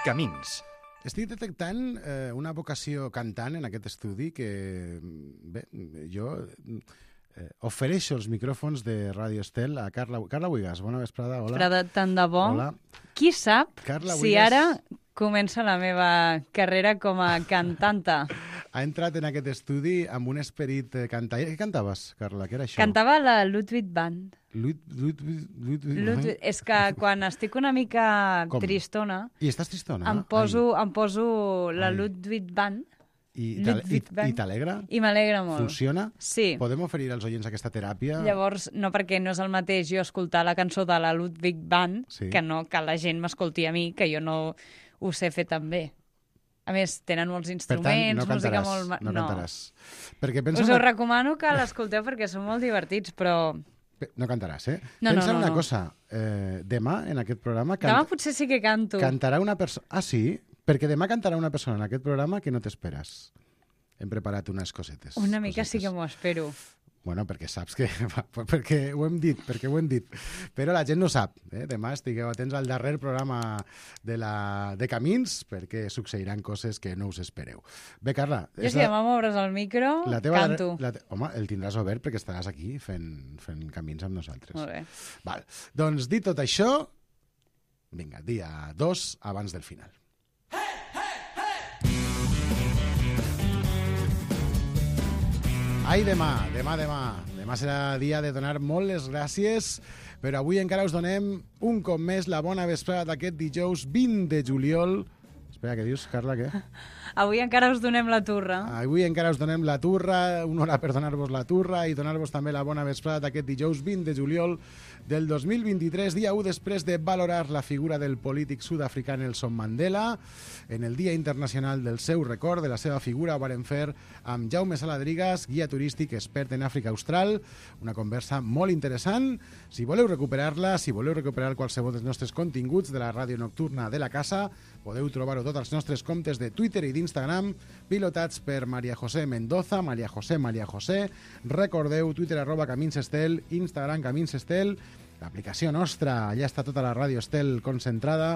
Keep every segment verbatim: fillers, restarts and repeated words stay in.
Camins. Estic detectant eh, una vocació cantant en aquest estudi que, bé, jo eh, ofereixo els micròfons de Radio Estel a Carla, Carla Buigas. Bona vesprada, hola. Vesprada, tant de bo. Hola. Qui sap Carla si Buigas ara comença la meva carrera com a cantanta. ha entrat en aquest estudi amb un esperit eh, cantaire. Què cantaves, Carla? Què era això? Cantava la Ludwig Band. Lut, lut, lut, lut, Ludwig, és que quan estic una mica Com? tristona, I estàs tristona? em poso, em poso la Ai. Ludwig Band I, i, t'ale- Ludwig i, Band. i t'alegra? i m'alegra molt. Funciona? Sí. Podem oferir als oients aquesta teràpia? Llavors, no perquè no és el mateix jo escoltar la cançó de la Ludwig Band Sí. que no que la gent m'escolti a mi, que jo no ho sé fer tan bé. A més, tenen molts Per instruments, tant, no música cantaràs. molt... ma- No cantaràs. Perquè pensa Us una... ho recomano que l'escolteu perquè són molt divertits, però Pe- No cantaràs, eh? No, no, Pensa no, una no. cosa. Eh, demà, en aquest programa, demà can... potser sí que canto. cantarà una persona... Ah, sí? Perquè demà cantarà una persona en aquest programa que no t'esperes. Hem preparat unes cosetes. Una mica sí cosetes. que m'ho espero. Bueno, perquè saps que... perquè ho hem dit, perquè ho hem dit. Però la gent no sap. Eh? Demà estigueu atents al darrer programa de, la... de Camins, perquè succeiran coses que no us espereu. Bé, Carla... Jo és si demà m'obres el micro, la teva canto. darrer- La te... Home, el tindràs obert perquè estaràs aquí fent, fent camins amb nosaltres. Molt bé. Val. Doncs dit tot això, vinga, dia dos abans del final. Ai, demà, demà, demà. Demà serà dia de donar molt les gràcies, però avui encara us donem un cop més la bona vesprada d'aquest dijous vint de juliol. Espera, què dius, Carla, què? Avui encara us donem la turra. Avui encara us donem la turra, una hora per donar-vos la turra i donar-vos també la bona vesprada d'aquest dijous vint de juliol del dos mil vint-i-tres, dia u després de valorar la figura del polític sud-africà Nelson Mandela. En el Dia Internacional del seu record, de la seva figura, ho varen fer amb Jaume Saladrigas, guia turístic expert en Àfrica Austral. Una conversa molt interessant. Si voleu recuperar-la, si voleu recuperar qualsevol dels nostres continguts de la ràdio nocturna de la casa, podeu trobar-ho tot als nostres comptes de Twitter i d'Instagram, pilotats per Maria José Mendoza, Maria José, Maria José. Recordeu, Twitter arroba Camins Estel, Instagram Camins Estel, l'aplicació nostra, allà està tota la Ràdio Estel concentrada,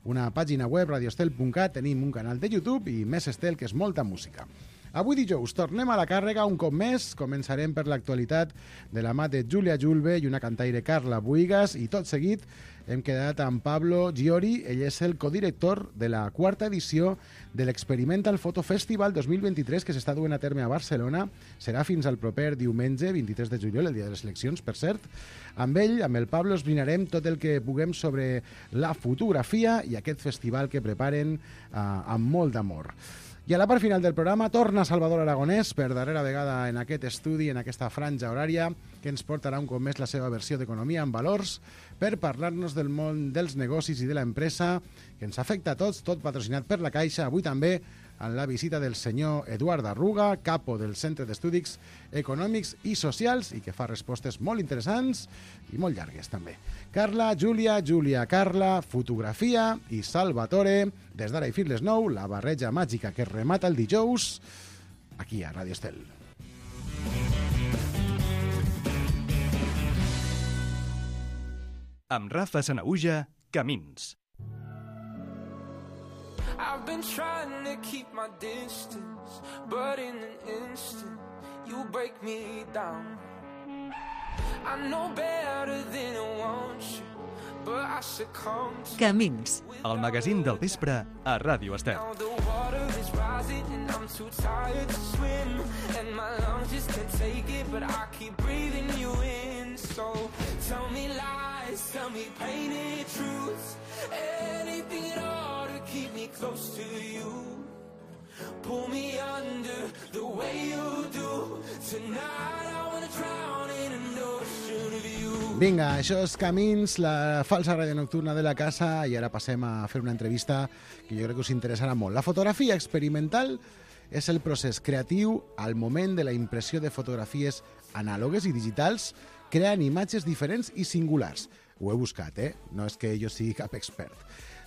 una pàgina web, radioestel punt cat, tenim un canal de YouTube i Més Estel, que és molta música. Avui dijous tornem a la càrrega un cop més, començarem per l'actualitat de la mà de Júlia Julve i una cantaire Carla Buigas, i tot seguit hem quedat amb Pablo Giori, ell és el codirector de la quarta edició de l'Experimental Photo Festival dos mil vint-i-tres que s'està duent a terme a Barcelona. Serà fins al proper diumenge, vint-i-tres de juliol, el dia de les eleccions, per cert. Amb ell, amb el Pablo, esbrinarem tot el que puguem sobre la fotografia i aquest festival que preparen eh, amb molt d'amor. I a la part final del programa torna Salvador Aragonès per darrera vegada en aquest estudi, en aquesta franja horària, que ens portarà un cop més la seva versió d'Economia en Valors per parlar-nos del món dels negocis i de l'empresa, que ens afecta a tots, tot patrocinat per la Caixa, avui també en la visita del senyor Eduard Arruga, capo del Centre d'Estudis Econòmics i Socials, i que fa respostes molt interessants i molt llargues també. Carla, Júlia, Júlia, Carla, fotografia i Salvatore. Des d'ara i fins les nou, la barreja màgica que remata el dijous aquí a Radio Estel. Amb Rafa Sanaüja, Camins. I've been trying to keep my distance, but in an instant, you break me down. I know better than I want you, but I succumb to Camins. El magazín del vespre a Ràdio Estel. now the water is rising and I'm too tired to swim, and my lungs just can't take it, but I keep breathing you in. So tell me lies, tell me painted truths, anything at all to keep me close to you. Pull me under the way you do. Tonight I wanna drown in an ocean of you. Vinga, això és Camins, la falsa ràdio nocturna de la casa, i ara passem a fer una entrevista que jo crec que us interessarà molt. La fotografia experimental és el procés creatiu al moment de la impressió de fotografies anàlogues i digitals, creant imatges diferents i singulars. Ho he buscat, eh? No és que jo sigui cap expert.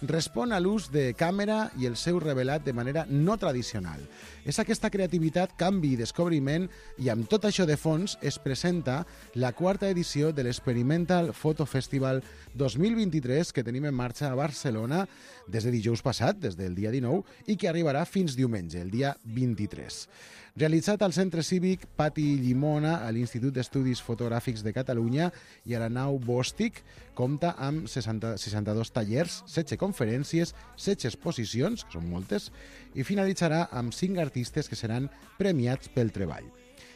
respon a l'ús de càmera i el seu revelat de manera no tradicional. És aquesta creativitat, canvi i descobriment, i amb tot això de fons es presenta la quarta edició de l'Experimental Photo Festival dos mil vint-i-tres que tenim en marxa a Barcelona des de dijous passat, des del dia dinou, i que arribarà fins diumenge, el dia vint-i-tres. Realitzat al Centre Cívic Pati Llimona, a l'Institut d'Estudis Fotogràfics de Catalunya i a la nau Bòstic, compta amb seixanta, seixanta-dos tallers, setze conferències, setze exposicions, que són moltes, i finalitzarà amb cinc artistes que seran premiats pel treball.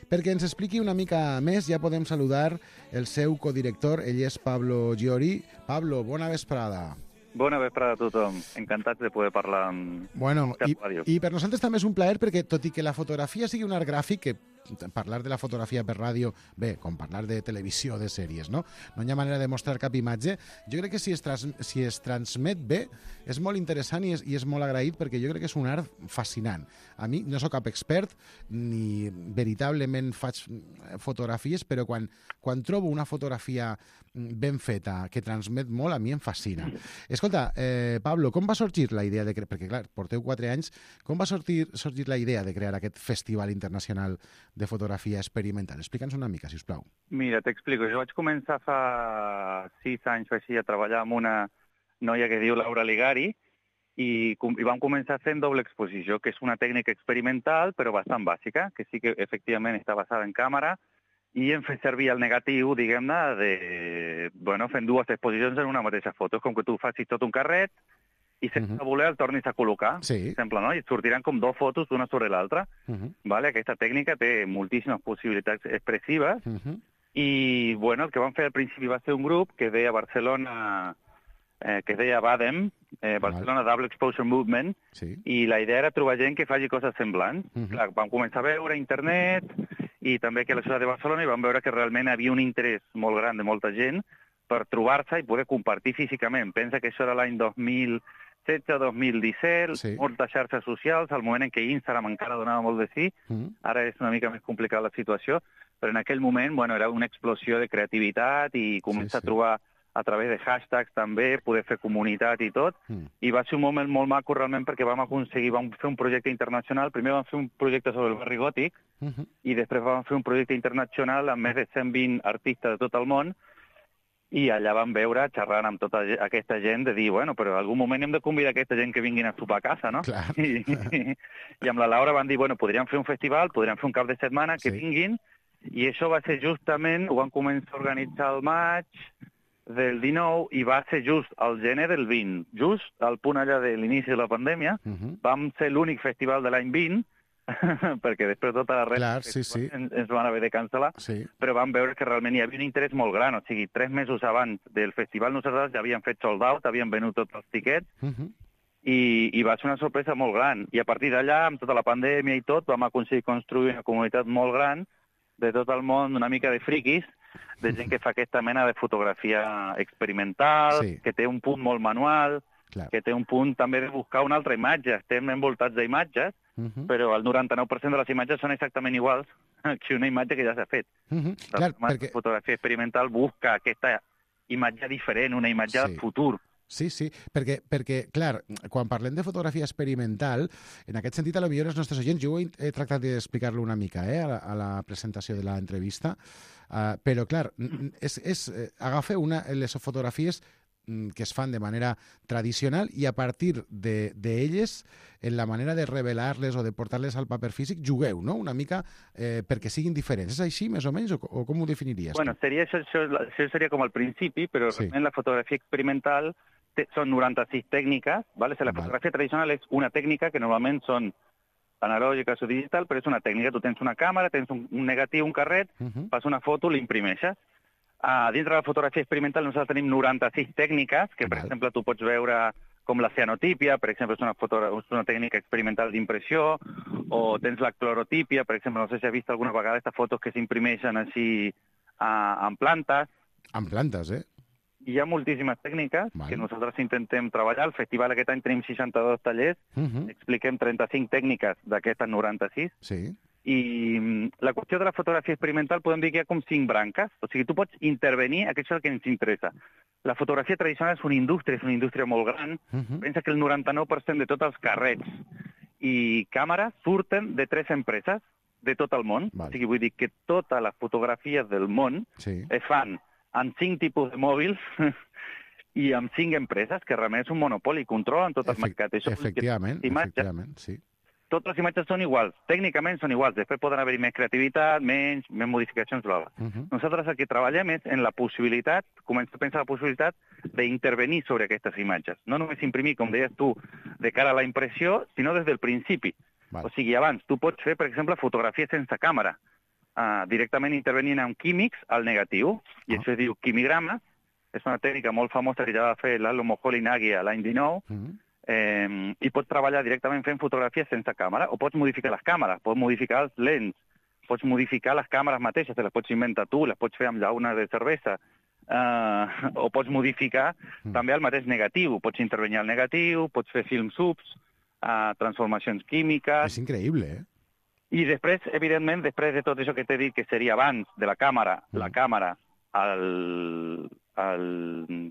Perquè ens expliqui una mica més, ja podem saludar el seu codirector, ell és Pablo Giori. Pablo, bona vesprada. Bona vesprada a tothom. Encantats de poder parlar amb bueno, Cap i, Ràdio. I per nosaltres també és un plaer perquè, tot i que la fotografia sigui un art gràfic, que parlar de la fotografia per ràdio, bé, com parlar de televisió, de sèries, no? No hi ha manera de mostrar cap imatge. Jo crec que si es, trans, si es transmet bé, és molt interessant i és, i és molt agraït perquè jo crec que és un art fascinant. A mi no sóc cap expert ni veritablement faig fotografies, però quan, quan trobo una fotografia ben feta, que transmet molt, a mi em fascina. Escolta, eh, Pablo, com va sorgir la idea de crear, perquè clar, porteu quatre anys, com va sorgir, sorgir la idea de crear aquest Festival Internacional de Fotografia Experimental? Explica'ns una mica, si us plau. Mira, t'explico. Jo vaig començar fa sis anys així a treballar amb una noia que diu Laura Ligari i, i vam començar fent doble exposició, que és una tècnica experimental però bastant bàsica, que sí que efectivament està basada en càmera, i hem fet servir el negatiu, diguem-ne, de, bueno, fent dues exposicions en una mateixa foto. És com que tu facis tot un carret i sense uh -huh. voler el tornis a col·locar, sí. per exemple, no? I et sortiran com dues fotos d'una sobre l'altra. Uh -huh. Vale? Aquesta tècnica té moltíssimes possibilitats expressives uh -huh. i, bueno, el que vam fer al principi va ser un grup que deia Barcelona, eh, que es deia BADEM, eh, Barcelona Double Exposure Movement, sí. i la idea era trobar gent que faci coses semblants. Uh -huh. Clar, vam començar a veure internet i també aquí a la ciutat de Barcelona i vam veure que realment hi havia un interès molt gran de molta gent per trobar-se i poder compartir físicament. Pensa que això era l'any dos mil setze dos mil disset, sí. moltes xarxes socials, al moment en què Instagram encara donava molt de sí, uh-huh. ara és una mica més complicada la situació, però en aquell moment, bueno, era una explosió de creativitat i començar sí, sí. a trobar a través de hashtags també, poder fer comunitat i tot, mm. i va ser un moment molt maco realment perquè vam aconseguir, vam fer un projecte internacional, primer vam fer un projecte sobre el barri gòtic, uh-huh. i després vam fer un projecte internacional amb més de cent vint artistes de tot el món, i allà vam veure, xerrant amb tota aquesta gent, de dir, bueno, però en algun moment hem de convidar aquesta gent que vinguin a sopar a casa, no? Clar. I, i, I amb la Laura van dir, bueno, podríem fer un festival, podríem fer un cap de setmana, que sí. vinguin, i això va ser justament, ho van començar a organitzar al maig del dinou, i va ser just al gener del vint, just al punt allà de l'inici de la pandèmia, uh-huh. vam ser l'únic festival de l'any vint, perquè després tota la resta sí, sí. ens, ens van haver de cancel·lar, sí. però vam veure que realment hi havia un interès molt gran, o sigui, tres mesos abans del festival nosaltres ja havíem fet sold out, havíem venut tots els tiquets, uh-huh. i, i va ser una sorpresa molt gran. I a partir d'allà, amb tota la pandèmia i tot, vam aconseguir construir una comunitat molt gran de tot el món, una mica de friquis, de gent que fa aquesta mena de fotografia experimental, sí. que té un punt molt manual, Clar. que té un punt també de buscar una altra imatge. Estem envoltats d'imatges, uh-huh. però el noranta-nou per cent de les imatges són exactament iguals que una imatge que ja s'ha fet. Uh-huh. Clar, la perquè... fotografia experimental busca aquesta imatge diferent, una imatge sí. del futur. Sí, sí, perquè, perquè, clar, quan parlem de fotografia experimental, en aquest sentit, a lo millor els nostres oients, jo he tractat d'explicar-lo una mica eh, a, la, a la presentació de l'entrevista, uh, però, clar, és, és eh, agafar una, les fotografies que es fan de manera tradicional i a partir d'elles, de, en la manera de revelar-les o de portar-les al paper físic, jugueu, no?, una mica eh, perquè siguin diferents. És així, més o menys, o, o com ho definiries? Bueno, seria, això, això, això seria com al principi, però sí. realment la fotografia experimental té, són noranta-sis tècniques, ¿vale? O sigui, la vale. fotografia tradicional és una tècnica que normalment són analògiques o digital, però és una tècnica. Tu tens una càmera, tens un, un negatiu, un carret, uh-huh. fas una foto, l'imprimeixes. Uh, dintre de la fotografia experimental nosaltres tenim noranta-sis tècniques, que per Val. exemple tu pots veure com la cianotípia, per exemple és una, foto, és una tècnica experimental d'impressió, o tens la clorotípia, per exemple, no sé si has vist alguna vegada aquestes fotos que s'imprimeixen així uh, en plantes. En plantes, eh? Hi ha moltíssimes tècniques Val. que nosaltres intentem treballar. Al festival aquest any tenim seixanta-dos tallers, uh-huh. expliquem trenta-cinc tècniques d'aquestes noranta-sis, sí. I la qüestió de la fotografia experimental podem dir que hi ha com cinc branques. O sigui, tu pots intervenir, aquest és el que ens interessa. La fotografia tradicional és una indústria, és una indústria molt gran. Uh-huh. Pensa que el noranta-nou per cent de tots els carrets i càmeres surten de tres empreses de tot el món. Vale. O sigui, vull dir que totes les fotografies del món sí. es fan amb cinc tipus de mòbils i amb cinc empreses, que realment és un monopoli, controlen tot el Efect mercat. Això efectivament, imatges, efectivament, sí. Totes les imatges són iguals, tècnicament són iguals, després poden haver-hi més creativitat, menys, més modificacions, bla, bla. Uh-huh. Nosaltres el que treballem és en la possibilitat, començar a pensar la possibilitat d'intervenir sobre aquestes imatges. No només imprimir, com deies tu, de cara a la impressió, sinó des del principi. Vale. O sigui, abans, tu pots fer, per exemple, fotografia sense càmera, uh, directament intervenint amb químics al negatiu, i uh-huh. això es diu quimigrama, és una tècnica molt famosa que ja va fer Lalo Moholy-Nagy a l'any dinou, uh-huh. eh, i pots treballar directament fent fotografies sense càmera, o pots modificar les càmeres, pots modificar els lents, pots modificar les càmeres mateixes, te les pots inventar tu, les pots fer amb llauna de cervesa, eh, o pots modificar uh-huh. també el mateix negatiu, pots intervenir al negatiu, pots fer film subs, eh, transformacions químiques... És increïble, eh? I després, evidentment, després de tot això que t'he dit, que seria abans de la càmera, uh-huh. la càmera, el, el,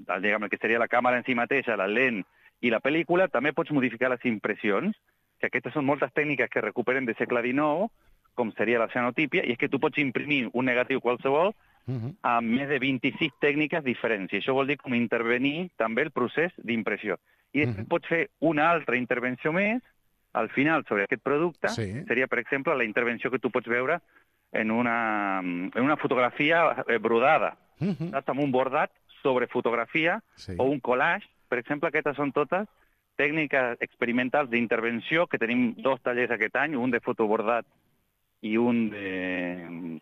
el, diguem, que seria la càmera en si mateixa, la lent i la pel·lícula, també pots modificar les impressions, que aquestes són moltes tècniques que recuperen de segle dinou, com seria la cianotípia, i és que tu pots imprimir un negatiu qualsevol uh-huh. amb més de vint-i-sis tècniques diferents, i això vol dir com intervenir també el procés d'impressió. I després uh-huh. pots fer una altra intervenció més, al final, sobre aquest producte, sí. seria, per exemple, la intervenció que tu pots veure en una, en una fotografia brodada, uh-huh. saps? Amb un bordat sobre fotografia sí. o un collage. Per exemple, aquestes són totes tècniques experimentals d'intervenció, que tenim dos tallers aquest any, un de fotobordat i un de,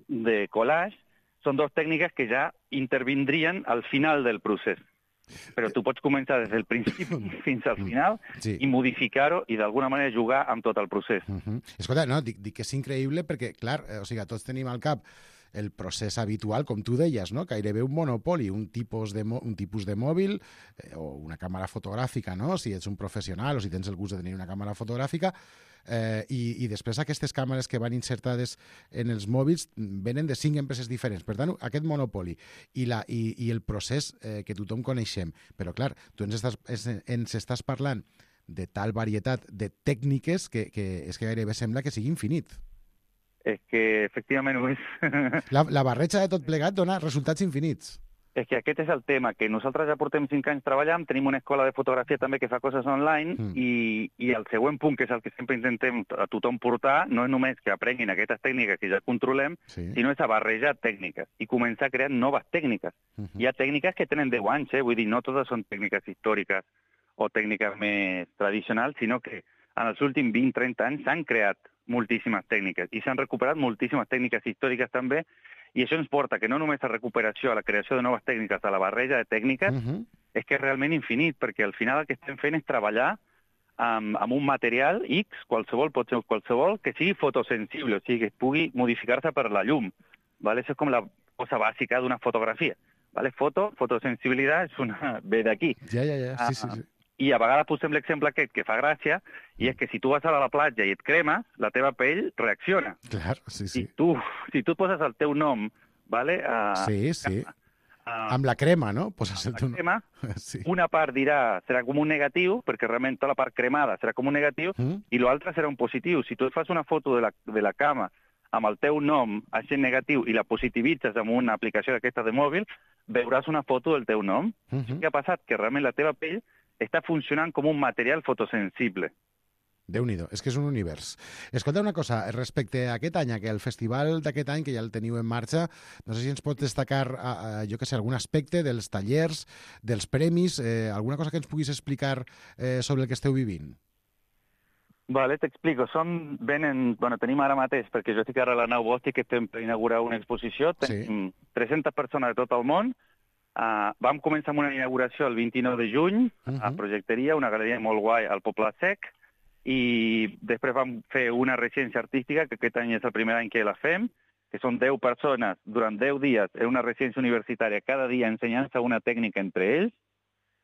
de collage. Són dues tècniques que ja intervindrien al final del procés. Però tu pots començar des del principi fins al final sí. i modificar-ho i d'alguna manera jugar amb tot el procés. Uh-huh. Escolta, no, dic, dic que és increïble perquè, clar, o sigui, tots tenim al cap el procés habitual, com tu deies, no? Gairebé un monopoli, un tipus de, un tipus de mòbil eh, o una càmera fotogràfica, no? Si ets un professional o si tens el gust de tenir una càmera fotogràfica, eh, i, i després aquestes càmeres que van insertades en els mòbils venen de cinc empreses diferents. Per tant, aquest monopoli i, la, i, i el procés eh, que tothom coneixem. Però, clar, tu ens estàs, ens estàs parlant de tal varietat de tècniques que, que és que gairebé sembla que sigui infinit. És que, efectivament, ho és. La, la barreja de tot plegat dona resultats infinits. És que aquest és el tema, que nosaltres ja portem cinc anys treballant, tenim una escola de fotografia també que fa coses online, mm. i, i el següent punt, que és el que sempre intentem a tothom portar, no és només que aprenguin aquestes tècniques que ja controlem, sí. sinó és a barrejar tècniques i començar a crear noves tècniques. Mm-hmm. Hi ha tècniques que tenen deu anys, eh? Vull dir, no totes són tècniques històriques o tècniques més tradicionals, sinó que en els últims vint a trenta anys s'han creat moltíssimes tècniques i s'han recuperat moltíssimes tècniques històriques també, i això ens porta que no només a recuperació, a la creació de noves tècniques, a la barreja de tècniques, uh-huh. és que és realment infinit, perquè al final el que estem fent és treballar amb, amb un material X, qualsevol, pot ser qualsevol, que sigui fotosensible, o sigui, que pugui modificar-se per la llum. ¿Vale? Això és com la cosa bàsica d'una fotografia. ¿Vale? Foto, fotosensibilitat és una... ve d'aquí. Ja, ja, ja, sí, sí, sí. I a vegades posem l'exemple aquest que fa gràcia, i és que si tu vas a la platja i et cremes, la teva pell reacciona. Clar, sí, sí. Si tu, si tu poses el teu nom, ¿vale? A, sí, sí. A, amb la crema, no? Poses el teu nom. Crema, sí. Una part dirà, serà com un negatiu, perquè realment tota la part cremada serà com un negatiu, mm. i l'altra serà un positiu. Si tu et fas una foto de la, de la cama amb el teu nom, així negatiu, i la positivitzes amb una aplicació d'aquesta de mòbil, veuràs una foto del teu nom. Mm-hmm. Què ha passat? Que realment la teva pell està funcionant com un material fotosensible. Déu-n'hi-do, és que és un univers. Escolta una cosa, respecte a aquest any, que el festival d'aquest any, que ja el teniu en marxa, no sé si ens pot destacar, a, a, jo que sé, algun aspecte dels tallers, dels premis, eh, alguna cosa que ens puguis explicar eh, sobre el que esteu vivint? Vale, t'explico. Som, venen, bueno, tenim ara mateix, perquè jo estic ara a la nau Bòstic, que estem per inaugurar una exposició, tenim sí. tres-centes persones de tot el món. Uh, vam començar amb una inauguració el vint-i-nou de juny, uh-huh. a Projecteria, una galeria molt guai al Poble Sec, i després vam fer una residència artística, que aquest any és el primer any que la fem, que són deu persones durant deu dies en una residència universitària, cada dia ensenyant-se una tècnica entre ells,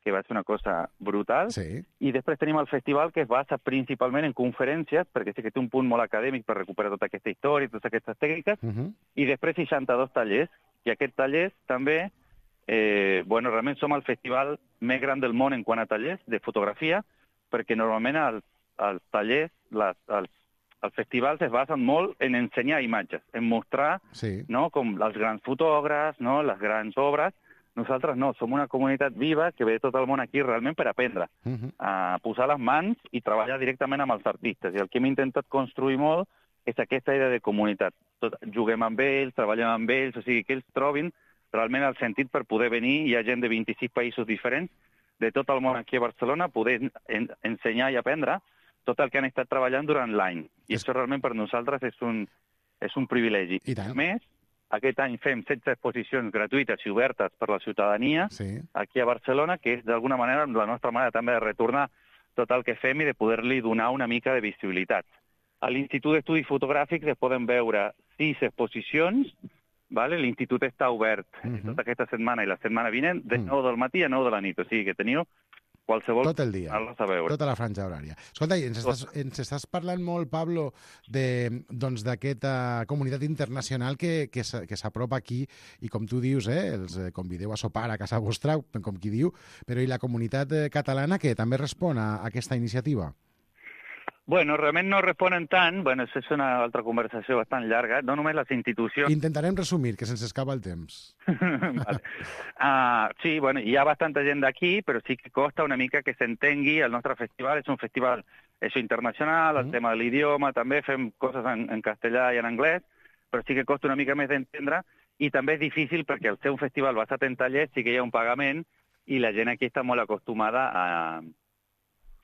que va ser una cosa brutal. Sí. I després tenim el festival, que es basa principalment en conferències, perquè sí que té un punt molt acadèmic per recuperar tota aquesta història, totes aquestes tècniques, Uh -huh. i després seixanta-dos tallers, i aquests tallers també, eh, bueno, realment som el festival més gran del món en quant a tallers de fotografia, perquè normalment els, els tallers, les, els, els festivals es basen molt en ensenyar imatges, en mostrar, Sí. no?, com els grans fotògrafs, no?, les grans obres. Nosaltres no, som una comunitat viva que ve de tot el món aquí realment per aprendre, Uh -huh. a posar les mans i treballar directament amb els artistes. I el que hem intentat construir molt és aquesta idea de comunitat. Tot, juguem amb ells, treballem amb ells, o sigui, que ells trobin realment el sentit per poder venir. Hi ha gent de vint-i-sis països diferents, de tot el món aquí a Barcelona, poder en, ensenyar i aprendre tot el que han estat treballant durant l'any. I És... això realment per nosaltres és un, és un privilegi. I tant. A més, aquest any fem setze exposicions gratuïtes i obertes per la ciutadania Sí. aquí a Barcelona, que és d'alguna manera la nostra manera també de retornar tot el que fem i de poder-li donar una mica de visibilitat. A l'Institut d'Estudis Fotogràfics es poden veure sis exposicions, vale? L'Institut està obert Uh -huh. tota aquesta setmana i la setmana vinent, de Mm. nou del matí a nou de la nit, o sigui que teniu qualsevol Tot el dia, anar-los a veure. tota la franja horària. Escolta, i ens estàs, ens estàs parlant molt, Pablo, de, doncs, d'aquesta comunitat internacional que, que, s- que s'apropa aquí i, com tu dius, eh, els eh, convideu a sopar a casa vostra, com qui diu, però i la comunitat eh, catalana que també respon a aquesta iniciativa? Bueno, realment no responen tant, bueno, això és una altra conversació bastant llarga, no només les institucions... Intentarem resumir, que se'ns escapa el temps. vale. uh, sí, bueno, hi ha bastanta gent d'aquí, però sí que costa una mica que s'entengui. El nostre festival és un festival això, internacional, el Mm. tema de l'idioma, també fem coses en, en castellà i en anglès, però sí que costa una mica més d'entendre, i també és difícil perquè al ser un festival basat en tallers sí que hi ha un pagament, i la gent aquí està molt acostumada a,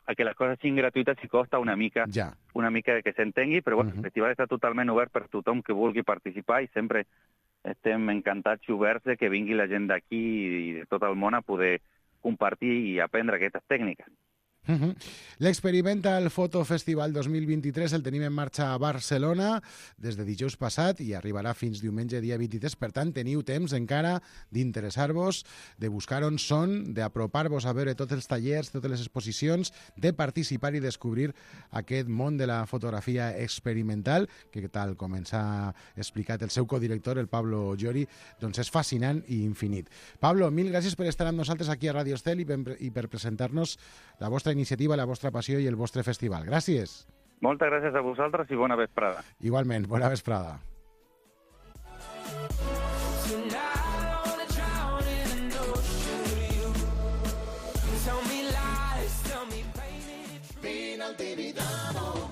a que les coses siguin gratuïtes i costa una mica Ja. una mica de que s'entengui, però bueno, Mhm. el festival està totalment obert per tothom que vulgui participar i sempre estem encantats i oberts de que vingui la gent d'aquí i de tot el món a poder compartir i aprendre aquestes tècniques. Uh -huh. L'Experimental Photo Festival dos mil vint-i-tres el tenim en marxa a Barcelona des de dijous passat i arribarà fins diumenge dia vint-i-tres. Per tant, teniu temps encara d'interessar-vos, de buscar on són, d'apropar-vos a veure tots els tallers, totes les exposicions, de participar i descobrir aquest món de la fotografia experimental, que tal com ens ha explicat el seu codirector, el Pablo Llori, doncs és fascinant i infinit. Pablo, mil gràcies per estar amb nosaltres aquí a Radio Estel i per, i per presentar-nos la vostra iniciativa, la vostra passió i el vostre festival. Gràcies. Moltes gràcies a vosaltres i bona vesprada. Igualment, bona vesprada. Tonight I wanna drown in an ocean with you. Tell me lies, tell me painted. Vine al Tibidabo.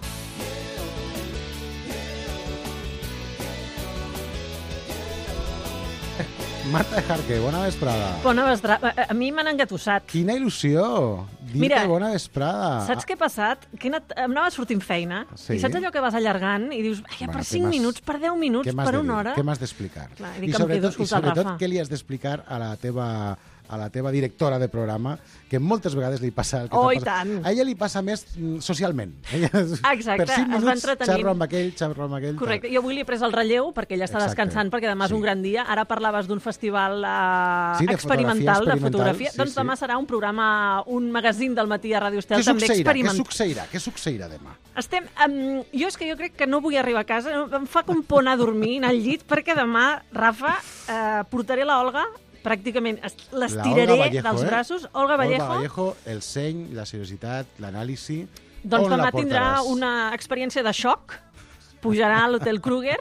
Marta Jarque, bona vesprada. Bona vesprada. A mi m'han engatussat. Quina il·lusió! Dir-te Mira, bona vesprada. Saps què ha passat? Que he anat, em anava sortint feina, Sí. i saps allò que vas allargant i dius, ai, Bueno, per què cinc m'has- minuts, per deu minuts, Què m'has per de una dir? hora... Què m'has d'explicar? Clar, i I dic que em quedo sobretot, i escoltant el sobretot Rafa. què li has d'explicar a la teva a la teva directora de programa, que moltes vegades li passa el que Oh, t'ha i passat. tant. A ella li passa més mm, socialment. Ella, Exacte, per cinc es va minuts entretenint. xerro amb aquell, xerro amb aquell. Correcte, tal. jo avui li he pres el relleu perquè ella està Exacte. descansant, perquè demà és Sí. un gran dia. Ara parlaves d'un festival uh, Sí, de experimental, fotografia de fotografia. experimental, sí, doncs sí. demà serà un programa, un magazín del matí a Ràdio Estel, Què també succeirà? Què experimental. succeirà? Què succeirà demà? Estem, um, jo és que jo crec que no vull arribar a casa, em fa com por anar a dormir, anar al llit, perquè demà, Rafa, uh, portaré la Olga, pràcticament es- La l'estiraré Olga Vallejo, dels eh? braços. Olga Vallejo, Olga Vallejo, el seny, la seriositat, l'anàlisi... doncs On la demà tindrà portaràs? una experiència de xoc, pujarà a l'Hotel Kruger,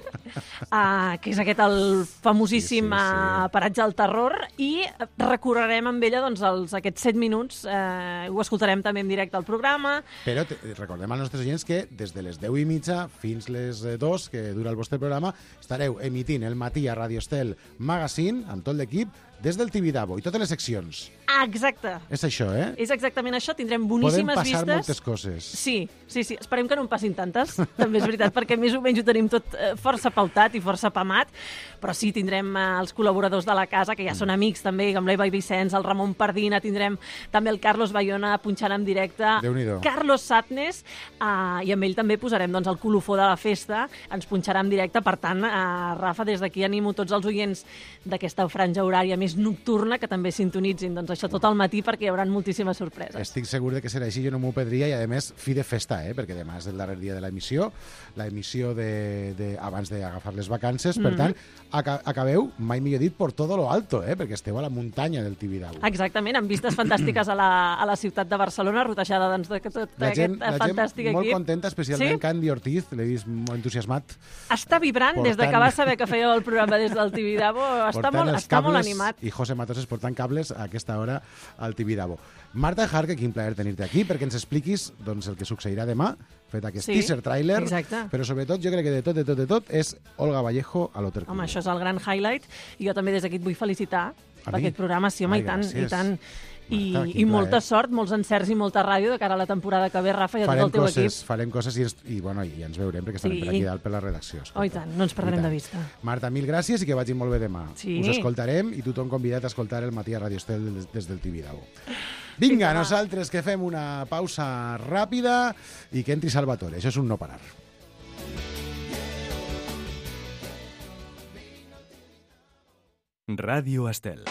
uh, que és aquest el famosíssim Sí, sí, sí. uh, paratge del terror, i recorrerem amb ella doncs, els, aquests set minuts, uh, ho escoltarem també en directe al programa. Però te, recordem als nostres agents que des de les deu i mitja fins les eh, dos, que dura el vostre programa, estareu emitint el matí a Radio Estel Magazine, amb tot l'equip, des del Tibidabo i totes les seccions. Ah, exacte. És això, eh? És exactament això, tindrem Podem boníssimes passar vistes. moltes coses. Sí, sí, sí. Esperem que no en passin tantes, també és veritat, perquè més o menys ho tenim tot eh, força pautat i força pamat, però sí, tindrem eh, els col·laboradors de la casa, que ja són amics també, com l'Eva i Vicenç, el Ramon Pardina, tindrem també el Carlos Bayona punxant en directe, Déu-n'hi-do. Carlos Satnes, eh, i amb ell també posarem doncs, el colofó de la festa, ens punxarà en directe, per tant, eh, Rafa, des d'aquí animo tots els oients d'aquesta franja horària més més nocturna, que també sintonitzin doncs, això tot al matí perquè hi haurà moltíssimes sorpreses. Estic segur de que serà així, jo no m'ho perdria, i a més, fi de festa, eh? Perquè demà és el darrer dia de l'emissió, l'emissió de, de, abans d'agafar les vacances, per mm-hmm. tant, aca acabeu, mai millor dit, por todo lo alto, eh? Perquè esteu a la muntanya del Tibidabo. Exactament, amb vistes fantàstiques a la, a la ciutat de Barcelona, rotejada doncs, de tot la gent, aquest fantàstic equip. La gent molt equip. contenta, especialment sí? Candy Ortiz, l'he vist molt entusiasmat. Està vibrant portant... des de que va saber que feia el programa des del Tibidabo, està, molt, està molt animat. I José Matoses portant cables a aquesta hora al Tibidabo. Marta Jarque, quin plaer tenir-te aquí perquè ens expliquis doncs, el que succeirà demà, fet aquest sí, teaser trailer, exacte. Però sobretot jo crec que de tot, de tot, de tot és Olga Vallejo a l'Hotel Club. Home, això és el gran highlight i jo també des d'aquí et vull felicitar per aquest programa, sí, home, Ai, i tant, gràcies. i tant. I, Marta, i molta plaer. sort, molts encerts i molta ràdio de cara a la temporada que ve, Rafa, i a tot el teu coses, equip. Farem coses i, i, bueno, i ens veurem perquè estarem sí. per aquí dalt per la redacció. Oh, i tant, no ens perdrem de vista. Marta, mil gràcies i que vagi molt bé demà. Sí. Us escoltarem i tothom convidat a escoltar el matí a Radio Estel des, des del Tibidabo. Vinga, Vinga, nosaltres que fem una pausa ràpida i que entri Salvatore. Això és un no parar. Ràdio Estel.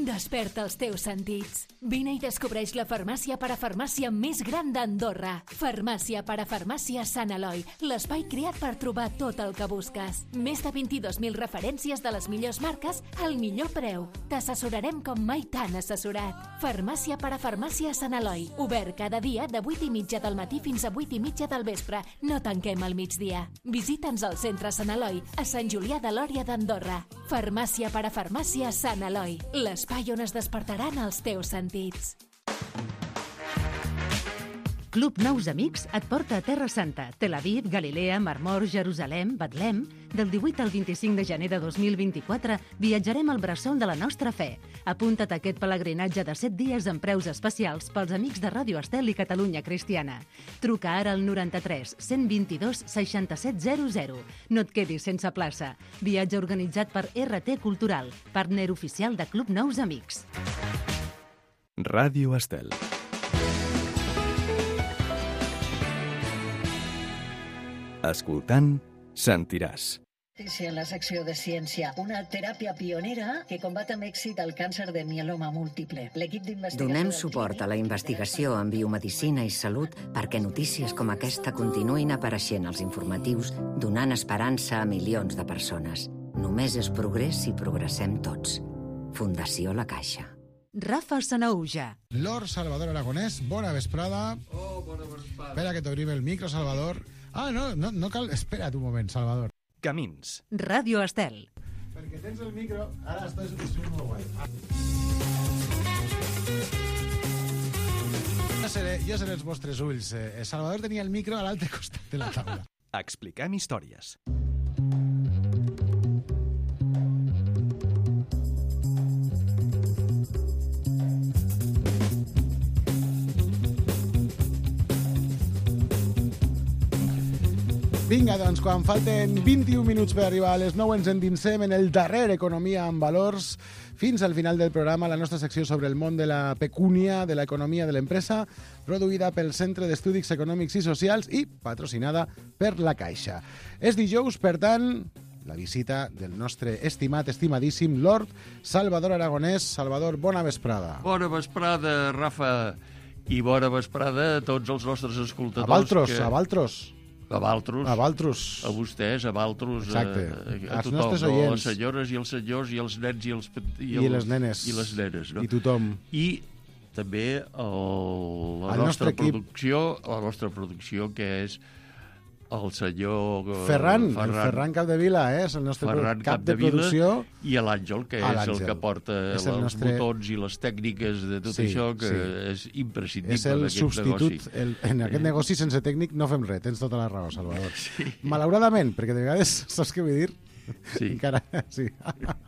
Desperta els teus sentits. Vine i descobreix la farmàcia parafarmàcia més gran d'Andorra. Farmàcia parafarmàcia Sant Eloi, l'espai creat per trobar tot el que busques. Més de vint-i-dos mil referències de les millors marques al millor preu. T'assessorarem com mai t'han assessorat. Farmàcia parafarmàcia Sant Eloi, obert cada dia de vuit i mitja del matí fins a vuit i mitja del vespre. No tanquem al migdia. Visita'ns al centre Sant Eloi, a Sant Julià de Lòria d'Andorra. Farmàcia parafarmàcia Sant Eloi, l'espai on es despertaran els teus sentits. Club Nous Amics et porta a Terra Santa, Tel Aviv, Galilea, Mar Mor, Jerusalem, Betlem. Del divuit al vint-i-cinc de gener de dos mil vint-i-quatre viatjarem al bressol de la nostra fe. Apunta't a aquest pelegrinatge de set dies amb preus especials pels amics de Ràdio Estel i Catalunya Cristiana. Truca ara al noranta-tres cent vint-i-dos seixanta-set zero zero. No et quedis sense plaça. Viatge organitzat per R T Cultural, partner oficial de Club Nous Amics. Ràdio Estel. Escoltant, sentiràs. Notícia en la secció de ciència. Una teràpia pionera que combat amb èxit el càncer de mieloma múltiple. L'equip d'investigació... Donem suport a la investigació en biomedicina i salut perquè notícies com aquesta continuïn apareixent als informatius, donant esperança a milions de persones. Només és progrés si progressem tots. Fundació La Caixa. Rafa Sanauja. Lord Salvador Aragonès, bona vesprada. Oh, bona vesprada. Espera que t'obrim el micro, Salvador. Ah, no, no, no cal... Espera't un moment, Salvador. Camins. Ràdio Estel. Perquè tens el micro, ara estàs molt guai. Jo seré, jo seré els vostres ulls. Eh, Salvador tenia el micro a l'altre costat de la taula. Expliquem històries. Vinga, doncs, quan falten vint-i-un minuts per arribar a les nou ens endinsem en el darrer Economia amb Valors. Fins al final del programa, la nostra secció sobre el món de la pecúnia, de l'economia de l'empresa, produïda pel Centre d'Estudis Econòmics i Socials i patrocinada per La Caixa. És dijous, per tant, la visita del nostre estimat, estimadíssim Lord Salvador Aragonès. Salvador, bona vesprada. Bona vesprada, Rafa, i bona vesprada a tots els nostres escoltadors. A Valtros, que... a Valtros. A Valtros. A Valtros. A vostès, a Valtros. Exacte. A, a tothom, no? A les senyores i els senyors i els nens i els... I, I les nenes. I les nenes, no? I tothom. I també el, la el nostra producció, equip. la nostra producció, que és el senyor... Ferran, Ferran, el Ferran Capdevila, eh? És el nostre Ferran cap de producció. I l'Àngel, que és el que porta els nostre... botons i les tècniques de tot sí, això, que sí. és imprescindible és el substitut. El, en aquest negoci sense tècnic no fem res, tens tota la raó, Salvador. Sí. Malauradament, perquè de vegades, saps què vull dir? Sí. Encara, sí.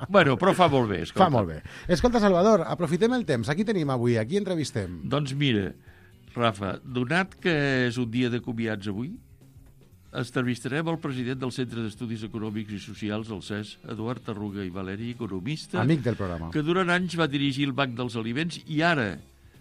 Bueno, però fa molt bé. Escolta. Fa molt bé. Escolta, Salvador, aprofitem el temps. Aquí tenim avui, aquí entrevistem. Doncs mira, Rafa, donat que és un dia de comiats avui, entrevistarem el president del Centre d'Estudis Econòmics i Socials, el C E S, Eduard Arruga i Valeri, economista. Amic del programa. Que durant anys va dirigir el Banc dels Aliments i ara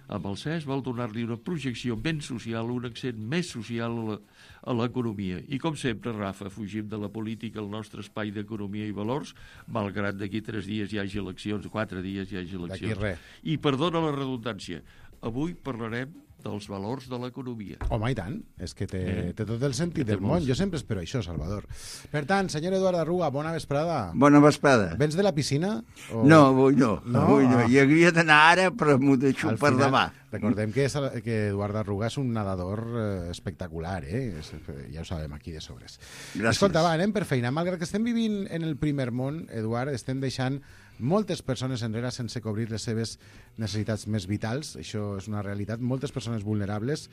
amb el C E S vol donar-li una projecció ben social, un accent més social a la, a l'economia. I com sempre, Rafa, fugim de la política al nostre espai d'economia i valors, malgrat d'aquí tres dies hi hagi eleccions, quatre dies hi hagi eleccions. D'aquí res. I perdona la redundància, avui parlarem dels valors de l'economia. Home, i tant. És que té, Eh, té tot el sentit té del món. molts. Jo sempre espero això, Salvador. Per tant, senyor Eduard Arruga, bona vesprada. Bona vesprada. Vens de la piscina? O... No, avui no. No? Avui no. Ah. Hi hauria d'anar ara, però m'ho deixo Al per final, demà. Recordem que, és, que Eduard Arruga és un nedador eh, espectacular, eh? És, ja ho sabem aquí de sobres. Gràcies. Escolta, va, anem per feina. Malgrat que estem vivint en el primer món, Eduard, estem deixant moltes persones enrere sense cobrir les seves necessitats més vitals. Això és una realitat. Moltes persones vulnerables.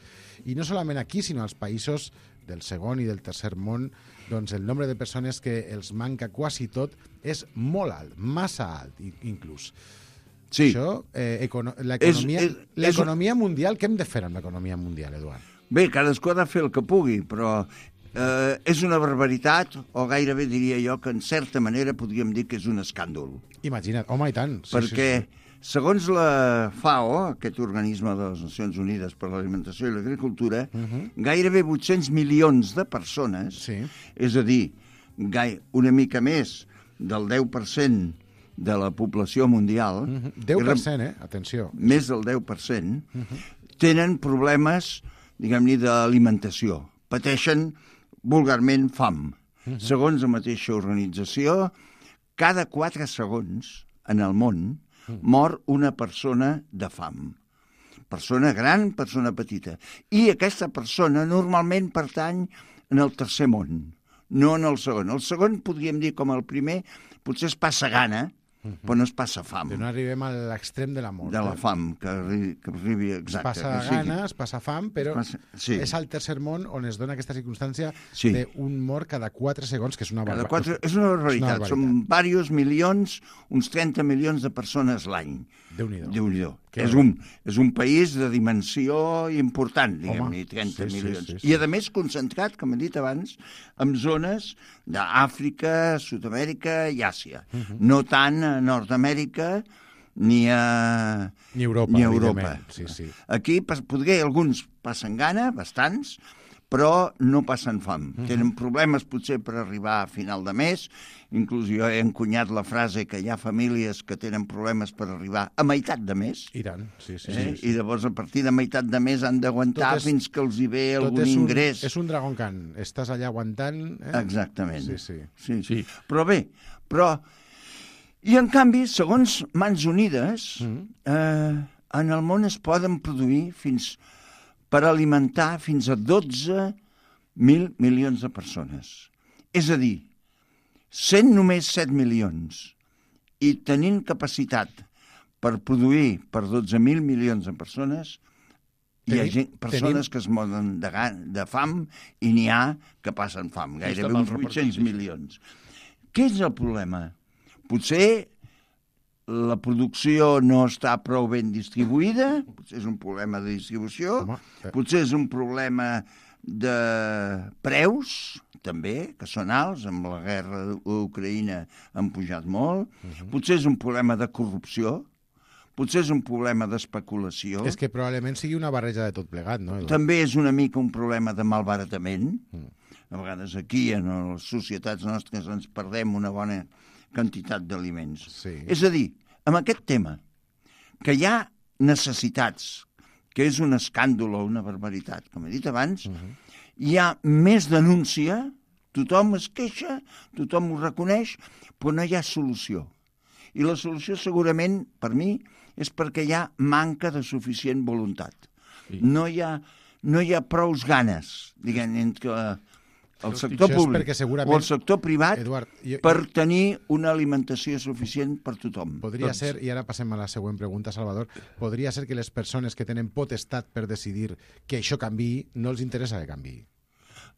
I no solament aquí, sinó als països del segon i del tercer món, doncs el nombre de persones que els manca quasi tot és molt alt, massa alt, inclús. Sí. Això, eh, econo l'economia És- és- l'economia mundial, què hem de fer amb l'economia mundial, Eduard? Bé, cadascú ha de fer el que pugui, però eh, és una barbaritat, o gairebé diria jo que en certa manera podríem dir que és un escàndol. Imagina't, home, i tant. Sí, perquè, sí, sí. segons la FAO, aquest organisme de les Nacions Unides per l'Alimentació i l'Agricultura, uh -huh. gairebé vuit-cents milions de persones, sí. és a dir, gai una mica més del deu per cent de la població mundial, Uh -huh. deu per cent, eh? Atenció. més del deu per cent, Uh -huh. tenen problemes, diguem-ne, d'alimentació. Pateixen vulgarment fam. Uh -huh. Segons la mateixa organització, cada quatre segons en el món uh -huh. mor una persona de fam. Persona gran, persona petita. I aquesta persona normalment pertany en el tercer món, no en el segon. El segon, podríem dir com el primer, potser es passa gana, uh-huh. però no es passa fam. Que no arribem a l'extrem de la mort. De la eh? fam, que arribi, que arribi exacte. Es passa o sigui, gana, es passa fam, però passa, sí. és al tercer món on es dona aquesta circumstància Sí. d'un mort cada quatre segons, que és una Cada barbaritat. quatre, és una barbaritat. Són diversos milions, uns trenta milions de persones l'any. Déu-n'hi-do. Déu-n'hi-do. Que És un, és un país de dimensió important, diguem-ne, trenta sí, sí, milions. sí, sí. I, a més, concentrat, com he dit abans, en zones d'Àfrica, Sud-amèrica i Àsia. Uh -huh. No tant a Nord-amèrica ni a... Ni Europa, ni a Europa. evidentment. Sí, sí. Aquí podria, alguns passen gana, bastants, però no passen fam. Uh -huh. Tenen problemes potser per arribar a final de mes. Inclús jo he encunyat la frase que hi ha famílies que tenen problemes per arribar a meitat de mes. I tant, sí, sí. Eh? sí, sí. I llavors a partir de meitat de mes han d'aguantar és- fins que els hi ve Tot algun és un, ingrés. És un Dragon Khan. Estàs allà aguantant... Eh? Exactament. Sí, sí. Sí, Sí. Però bé, però... I en canvi, segons Mans Unides, Mm. eh, en el món es poden produir fins per alimentar fins a dotze mil milions de persones. És a dir, sent només set milions i tenint capacitat per produir per dotze mil milions de persones, hi ha Tenim- gent, persones tenim- que es moren de, gan- de fam i n'hi ha que passen fam, gairebé mal uns vuit-cents repartit, això. milions. Què és el problema? Potser la producció no està prou ben distribuïda, potser és un problema de distribució, Home, eh. potser és un problema de preus, també, que són alts, amb la guerra d'Ucraïna han pujat molt, uh-huh. potser és un problema de corrupció, potser és un problema d'especulació, És que probablement sigui una barreja de tot plegat, no? Eduard? també és una mica un problema de malbaratament. Mm. A vegades aquí, en les societats nostres, ens perdem una bona quantitat d'aliments. Sí. És a dir, amb aquest tema, que hi ha necessitats, que és un escàndol o una barbaritat, com he dit abans, uh -huh. hi ha més denúncia, tothom es queixa, tothom ho reconeix, però no hi ha solució. I la solució segurament, per mi, és perquè hi ha manca de suficient voluntat. Sí. No hi ha, no hi ha prous ganes, diguem, entre el sector Això és públic perquè segurament, o el sector privat Eduard, jo- per tenir una alimentació suficient per tothom. Podria Tots. ser, i ara passem a la següent pregunta, Salvador, podria ser que les persones que tenen potestat per decidir que això canviï, no els interessa que canviï.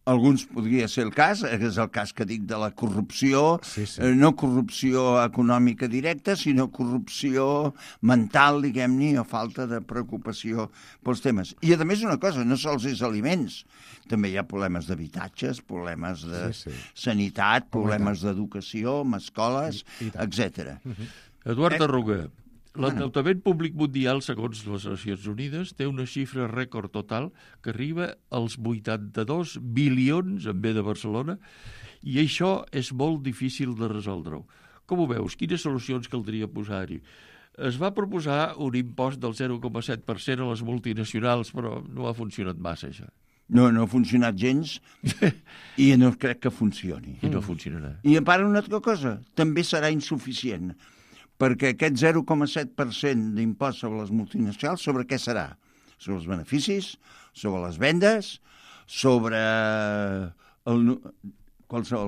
Alguns podria ser el cas, és el cas que dic de la corrupció, Sí, sí. eh, no corrupció econòmica directa, sinó corrupció mental, diguem-ne, o falta de preocupació pels temes. I, a més, una cosa, no sols és aliments, també hi ha problemes d'habitatges, problemes de Sí, sí. sanitat, problemes d'educació, amb escoles, I- i tant. etcètera. Eduard Eh. Arruga, L'endeutament públic mundial, segons les Nacions Unides, té una xifra rècord total que arriba als vuitanta-dos bilions en B de Barcelona, i això és molt difícil de resoldre-ho. Com ho veus? Quines solucions caldria posar-hi? Es va proposar un impost del zero coma set per cent a les multinacionals, però no ha funcionat massa, això. No, no ha funcionat gens i no crec que funcioni. I no funcionarà. I a part una altra cosa, també serà insuficient, perquè aquest zero coma set per cent d'impost sobre les multinacionals, sobre què serà? Sobre els beneficis, sobre les vendes, sobre el,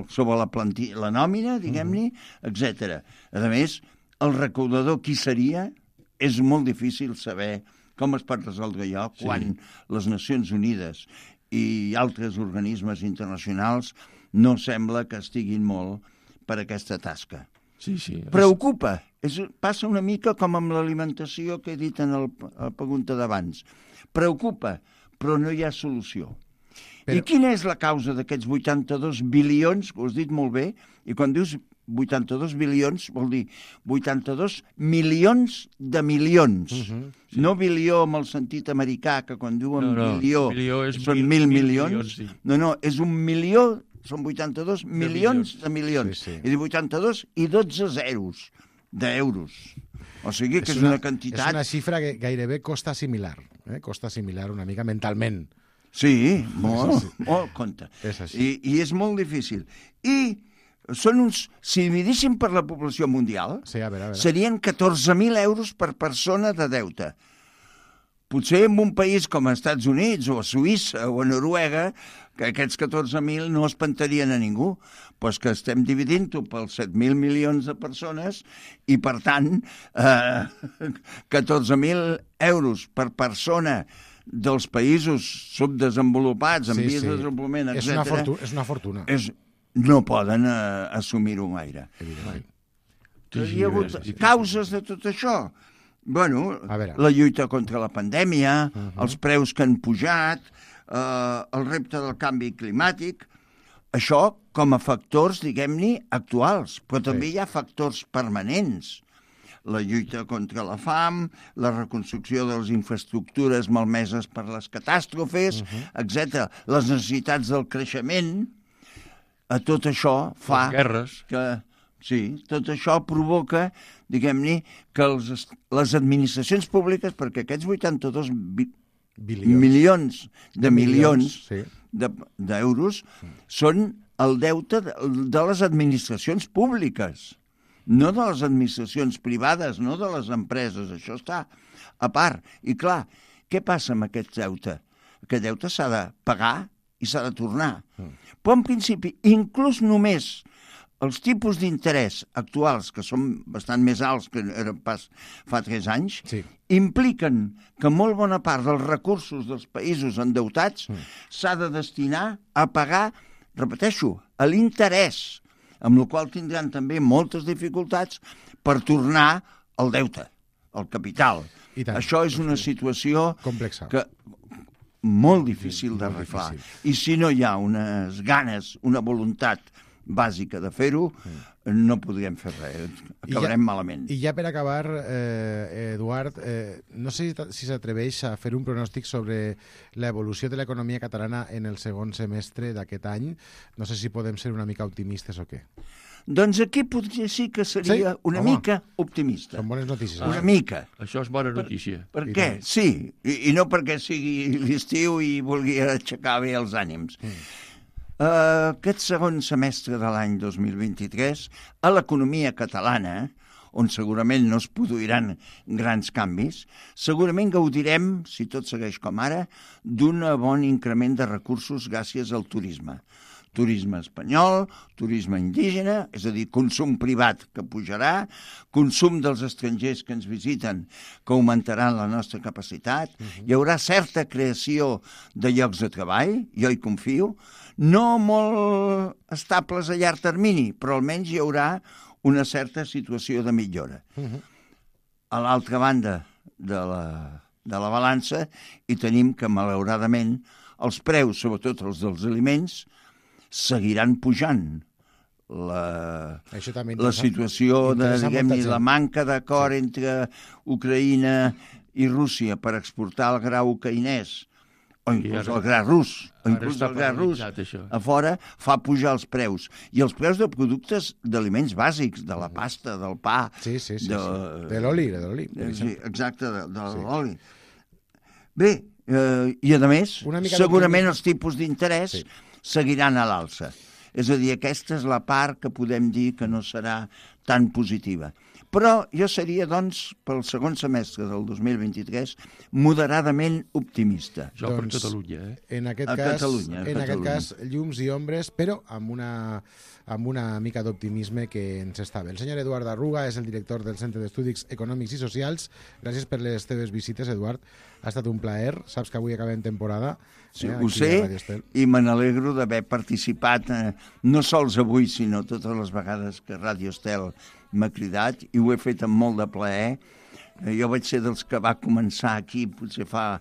sobre la, planti, la nòmina, diguem-ne, uh-huh. etcètera. A més, el recaudador qui seria és molt difícil saber com es pot resoldre allò quan sí. les Nacions Unides i altres organismes internacionals no sembla que estiguin molt per aquesta tasca. Sí, sí. Preocupa. És, passa una mica com amb l'alimentació que he dit en el, la pregunta d'abans. Preocupa, però no hi ha solució. Però... I quina és la causa d'aquests vuitanta-dos bilions, que ho has dit molt bé, i quan dius vuitanta-dos bilions vol dir vuitanta-dos milions de milions. Uh-huh, sí. No bilió amb el sentit americà, que quan diuen no, no, bilió, bilió són mil, mil milions. milions sí. No, no, és un milió, són vuitanta-dos de milions, milions de milions. Sí, sí. I de vuitanta-dos i dotze zeros d'euros. O sigui que és, és una, una quantitat... És una xifra que gairebé costa assimilar. Eh? Costa assimilar una mica mentalment. Sí, molt, sí. molt compte. És així. I, I és molt difícil. I són uns, si dividíssim per la població mundial, sí, a veure, a veure. serien catorze mil euros per persona de deute. Potser en un país com els Estats Units o a Suïssa o a Noruega, que aquests catorze mil no espantarien a ningú, doncs que estem dividint-ho pels set mil milions de persones i, per tant, eh, catorze mil euros per persona dels països subdesenvolupats, en sí, vies sí. de desenvolupament, etcètera. És una fortuna. És una fortuna. És, no poden uh, assumir-ho gaire. Evidentment. Hi ha hagut causes de tot això. Bueno, la lluita contra la pandèmia, uh-huh. els preus que han pujat, uh, el repte del canvi climàtic, això com a factors, diguem-ne, actuals, però també sí. hi ha factors permanents. La lluita contra la fam, la reconstrucció de les infraestructures malmeses per les catàstrofes, uh-huh. etcètera. Les necessitats del creixement, a tot això fa les guerres. que... Sí, tot això provoca, diguem-ne, que els, les administracions públiques, perquè aquests vuitanta-dos bi, milions de, de milions, milions sí. de, d'euros són el deute de, de les administracions públiques, no de les administracions privades, no de les empreses, això està a part. I clar, què passa amb aquest deute? Aquest deute s'ha de pagar i s'ha de tornar. Mm. Però en principi, inclús només els tipus d'interès actuals, que són bastant més alts que eren pas fa tres anys, sí. impliquen que molt bona part dels recursos dels països endeutats mm. s'ha de destinar a pagar, repeteixo, a l'interès, amb la qual tindran també moltes dificultats per tornar al deute, al capital. Això és una situació complexa. Que molt difícil d'arreglar. I si no hi ha unes ganes, una voluntat bàsica de fer-ho, no podríem fer res, acabarem ja, malament. I ja per acabar, eh, Eduard, eh, no sé si s'atreveix a fer un pronòstic sobre l'evolució de l'economia catalana en el segon semestre d'aquest any. No sé si podem ser una mica optimistes o què. Doncs aquí potser sí que seria sí? una Home, mica optimista. Són bones notícies. Una ah, mica. Això és bona notícia. Per, per què? Sí, i, i no perquè sigui l'estiu i vulgui aixecar bé els ànims. Mm. Uh, aquest segon semestre de l'any dos mil vint-i-tres, a l'economia catalana, on segurament no es produiran grans canvis, segurament gaudirem, si tot segueix com ara, d'un bon increment de recursos gràcies al turisme. Turisme espanyol, turisme indígena, és a dir, consum privat que pujarà, consum dels estrangers que ens visiten que augmentaran la nostra capacitat, uh-huh. hi haurà certa creació de llocs de treball, jo hi confio, no molt estables a llarg termini, però almenys hi haurà una certa situació de millora. Uh-huh. A l'altra banda de la, de la balança hi tenim que, malauradament, els preus, sobretot els dels aliments, seguiran pujant. la, Això també la situació de, diguem-ne, la manca d'acord sí. entre Ucraïna i Rússia per exportar el gra ucraïnès, o inclús el gra rus, o inclús el gra rus a fora, fa pujar els preus. I els preus de productes d'aliments bàsics, de la pasta, del pa... Sí, sí, sí. De, sí. de l'oli, de l'oli. Sí, exacte, de, de sí. l'oli. Bé, eh, i a més, segurament els tipus d'interès sí. seguiran a l'alça. És a dir, aquesta és la part que podem dir que no serà tan positiva. Però jo seria, doncs, pel segon semestre del dos mil vint-i-tres, moderadament optimista. Jo per doncs, Catalunya, eh? En aquest, a cas, Catalunya, a en Catalunya. aquest cas, llums i ombres, però amb una, amb una mica d'optimisme que ens està bé. El senyor Eduard Arruga és el director del Centre d'Estudis Econòmics i Socials. Gràcies per les teves visites, Eduard. Ha estat un plaer. Saps que avui acabem temporada. Sí, eh, ho sé, i me n'alegro d'haver participat, eh, no sols avui, sinó totes les vegades que Radio Estel m'ha cridat, i ho he fet amb molt de plaer. Eh, jo vaig ser dels que va començar aquí, potser fa,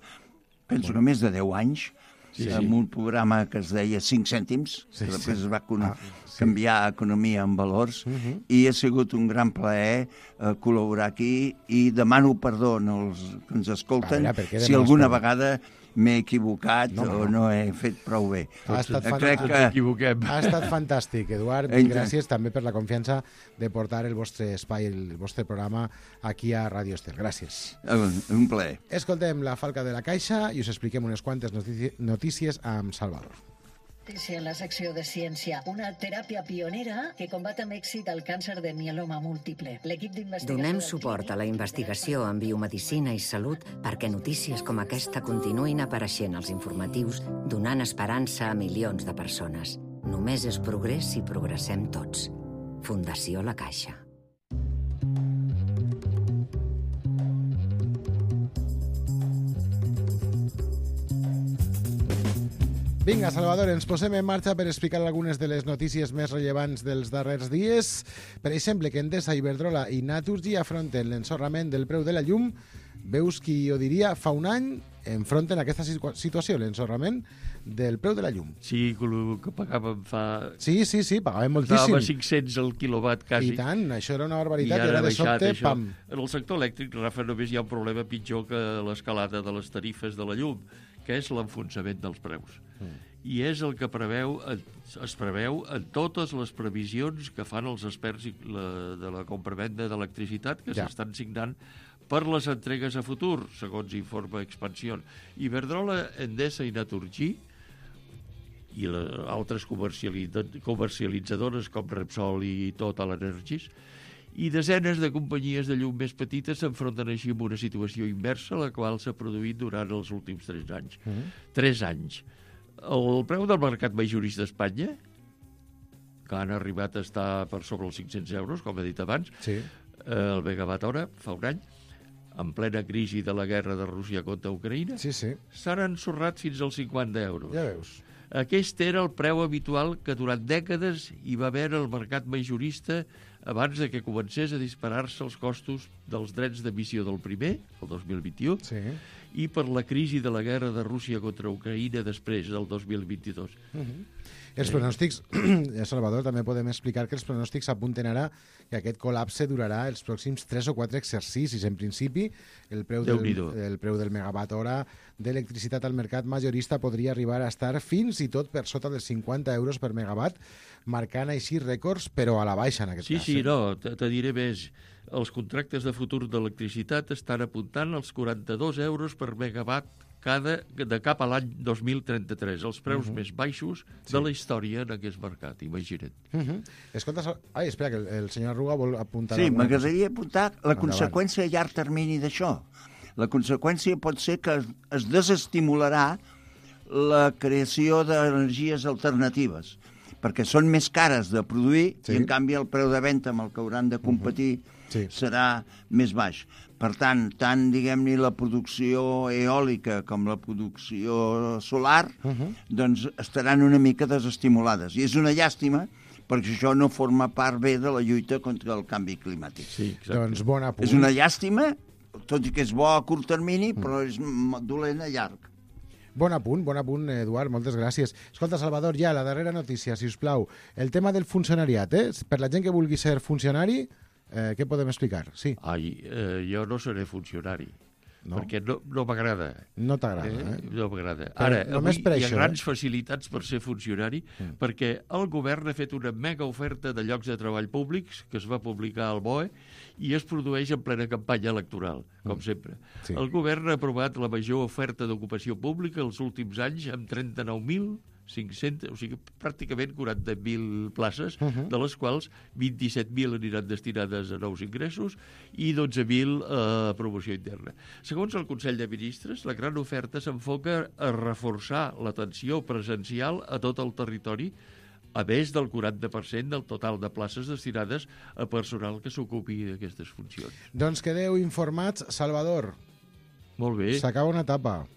penso que més de deu anys, sí, amb sí. un programa que es deia cinc cèntims, sí, que després sí. es va ah, sí. canviar a Economia en Valors, uh -huh. i ha sigut un gran plaer eh, col·laborar aquí, i demano perdó als que ens escolten, veure, si alguna vegada m'he equivocat no, no. o no he fet prou bé. Ha estat, Crec que... ha estat fantàstic, Eduard, i gràcies també per la confiança de portar el vostre espai, el vostre programa aquí a Radio Estel. Gràcies. Un plaer. Escoltem La Falca de la Caixa i us expliquem unes quantes notícies amb Salvador. En la secció de ciència, una teràpia pionera que combat amb èxit el càncer de mieloma múltiple. L'equip d'investigació... Donem suport a la investigació en biomedicina i salut perquè notícies com aquesta continuïn apareixent als informatius, donant esperança a milions de persones. Només és progrés si progressem tots. Fundació La Caixa. Vinga, Salvador, ens posem en marxa per explicar algunes de les notícies més rellevants dels darrers dies. Per exemple, que Endesa, Iberdrola i Naturgy afronten l'ensorrament del preu de la llum. Veus qui ho diria, fa un any enfronten aquesta situació, l'ensorrament del preu de la llum. Sí, el que pagàvem fa... Sí, sí, sí, pagàvem moltíssim. Estava a cinc-cents el quilowatt, quasi. I tant, això era una barbaritat, i, i ara de sobte, això. Pam. En el sector elèctric, Rafa, només hi ha un problema pitjor que l'escalada de les tarifes de la llum, que és l'enfonsament dels preus. Mm. I és el que preveu, es preveu en totes les previsions que fan els experts de la compravenda d'electricitat que ja. s'estan signant per les entregues a futur, segons informa Expansión. Iberdrola, Endesa i Naturgy i altres comercialitzadores com Repsol i Total Energies i desenes de companyies de llum més petites s'enfronten així amb una situació inversa, la qual s'ha produït durant els últims tres anys. Mm. Tres anys. El preu del mercat majorista d'Espanya, que han arribat a estar per sobre els cinc-cents euros, com he dit abans, sí. el megawatt hora, fa un any, en plena crisi de la guerra de Rússia contra Ucraïna, sí, sí. s'han ensorrat fins als cinquanta euros. Ja veus. Aquest era el preu habitual que durant dècades hi va haver al mercat majorista abans de que comencés a disparar-se els costos dels drets d'emissió del primer, el dos mil vint-i-u, sí. i per la crisi de la guerra de Rússia contra Ucraïna després, del dos mil vint-i-dos. Uh-huh. Els pronòstics, Salvador, també podem explicar que els pronòstics apunten ara que aquest col·lapse durarà els pròxims tres o quatre exercicis. En principi, el preu, del, el preu del megawatt hora d'electricitat al mercat majorista podria arribar a estar fins i tot per sota dels cinquanta euros per megawatt, marcant així rècords, però a la baixa en aquest sí, cas. Sí, sí, no, te, te diré més. Els contractes de futur d'electricitat estan apuntant als quaranta-dos euros per megawatt cada, de cap a l'any dos mil trenta-tres, els preus uh -huh. més baixos sí. de la història en aquest mercat, imagina't. Uh -huh. Escolta, ai, espera, que el, el senyor Arruga vol apuntar... Sí, m'agradaria apuntar la Endavant. conseqüència a llarg termini d'això. La conseqüència pot ser que es, es desestimularà la creació d'energies alternatives, perquè són més cares de produir sí. i, en canvi, el preu de venda amb el que hauran de competir uh-huh. sí. serà més baix. Per tant, tant, diguem-ne, la producció eòlica com la producció solar uh-huh. doncs estaran una mica desestimulades. I és una llàstima, perquè això no forma part bé de la lluita contra el canvi climàtic. Sí, doncs bon apunt. És una llàstima, tot i que és bo a curt termini, però és dolent a llarg. Bon apunt, bon apunt, Eduard, moltes gràcies. Escolta, Salvador, ja, la darrera notícia, si us plau. El tema del funcionariat, eh? Per la gent que vulgui ser funcionari, eh, què podem explicar? Sí. Ai, eh, jo no seré funcionari. No? Perquè no, no m'agrada. No t'agrada, eh? eh? No m'agrada. Però Ara, només avui per hi ha això, grans eh? facilitats per ser funcionari, mm. perquè el govern ha fet una mega oferta de llocs de treball públics que es va publicar al B O E i es produeix en plena campanya electoral, com mm. sempre. Sí. El govern ha aprovat la major oferta d'ocupació pública els últims anys amb trenta-nou mil cinc-cents, o sigui, pràcticament quaranta mil places, uh -huh. de les quals vint-i-set mil aniran destinades a nous ingressos i dotze mil a promoció interna. Segons el Consell de Ministres, la gran oferta s'enfoca a reforçar l'atenció presencial a tot el territori, a més del quaranta per cent del total de places destinades a personal que s'ocupi d'aquestes funcions. Doncs quedeu informats. Salvador. Molt bé. S'acaba una etapa.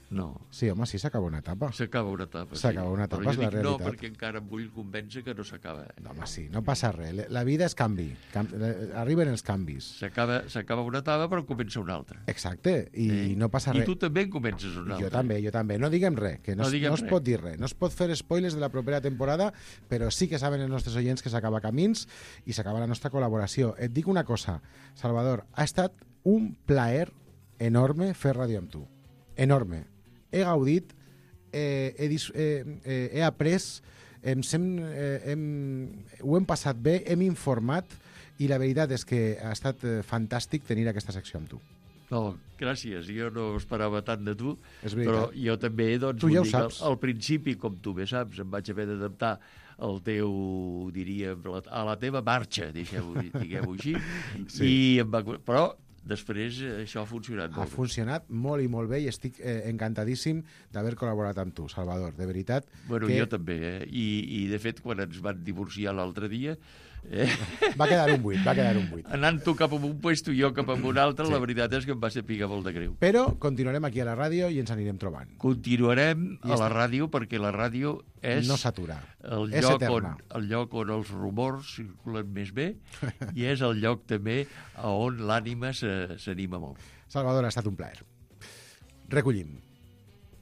No. Sí, home, sí, s'acaba una etapa. S'acaba una etapa, sí. S'acaba una etapa, però és jo la dic realitat. no, perquè encara em vull convèncer que no s'acaba. No, home, sí, no passa res. La vida és canvi. Cam... Arriben els canvis. S'acaba una etapa, però comença una altra. Exacte, i eh? no passa res. I tu també en comences una altra. Jo també, jo també. No diguem res, que no, no, no es res. pot dir res. No es pot fer spoilers de la propera temporada, però sí que saben els nostres oients que s'acaba Camins i s'acaba la nostra col·laboració. Et dic una cosa, Salvador, ha estat un plaer enorme fer ràdio amb tu. Enorme. He gaudit, eh, he, eh, eh, he après, hem, eh, hem, ho hem passat bé, hem informat i la veritat és que ha estat fantàstic tenir aquesta secció amb tu. No, gràcies. Jo no esperava tant de tu, és però jo també, doncs, tu ja ho dic, saps. Al, al principi, com tu bé saps, em vaig haver d'adaptar al teu, diríem, a la teva marxa, diguem-ho així, sí. i em va... Però després això ha funcionat molt Ha funcionat molt i molt bé i estic eh, encantadíssim d'haver col·laborat amb tu, Salvador, de veritat. Bueno, que... jo també, eh? I, I de fet, quan ens van divorciar l'altre dia... Eh? Va quedar un buit, va quedar un buit. Anant tu cap a un puesto i jo cap a un altre, sí. La veritat és que em va ser picar molt de greu. Però continuarem aquí a la ràdio i ens anirem trobant. Continuarem I a la està... ràdio perquè la ràdio és... No s'atura, el és lloc eterna. On, el lloc on els rumors circulen més bé i és el lloc també on l'ànima s'anima molt. Salvador, ha estat un plaer. Recollim.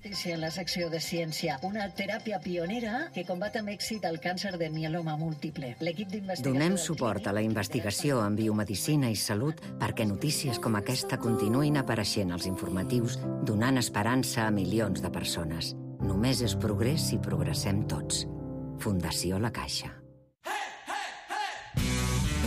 En la secció de ciència, una teràpia pionera que combat amb èxit el càncer de mieloma múltiple. L'equip d'investigació... Donem suport a la investigació en biomedicina i salut perquè notícies com aquesta continuïn apareixent als informatius, donant esperança a milions de persones. Només és progrés si progressem tots. Fundació La Caixa.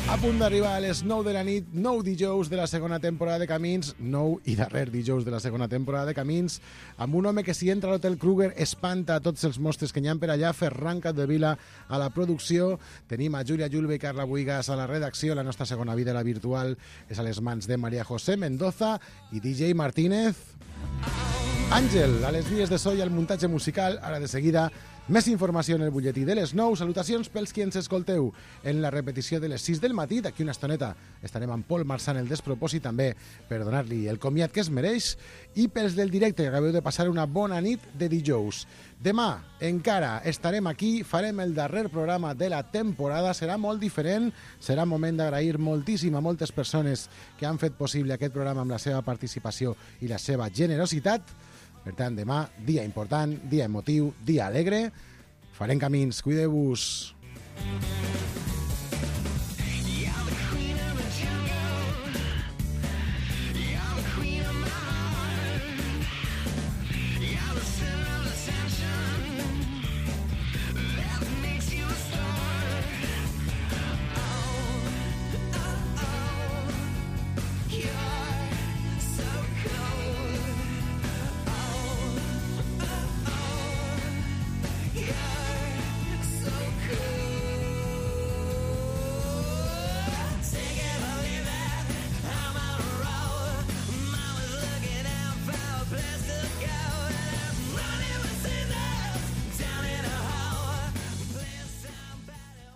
A punt d'arribar a les nou de la nit, nou dijous de la segona temporada de Camins, nou i darrer dijous de la segona temporada de Camins, amb un home que si entra a l'Hotel Kruger espanta a tots els mostres que n'hi ha per allà, Ferran Capdevila a la producció, tenim a Júlia Julve i Carla Buigas a la redacció, la nostra segona vida, la virtual, és a les mans de María José Mendoza i D J Martínez. Àngel, a les vies de so i al muntatge musical, ara de seguida... Més informació en el butlletí de les nou. Salutacions pels qui ens escolteu en la repetició de les sis del matí. D'aquí una estoneta estarem amb Pol Marçant el despropòsit també per donar-li el comiat que es mereix i pels del directe que acabeu de passar una bona nit de dijous. Demà encara estarem aquí, farem el darrer programa de la temporada, serà molt diferent, serà moment d'agrair moltíssim a moltes persones que han fet possible aquest programa amb la seva participació i la seva generositat. Per tant, demà, dia important, dia emotiu, dia alegre. Farem camins, cuideu-vos.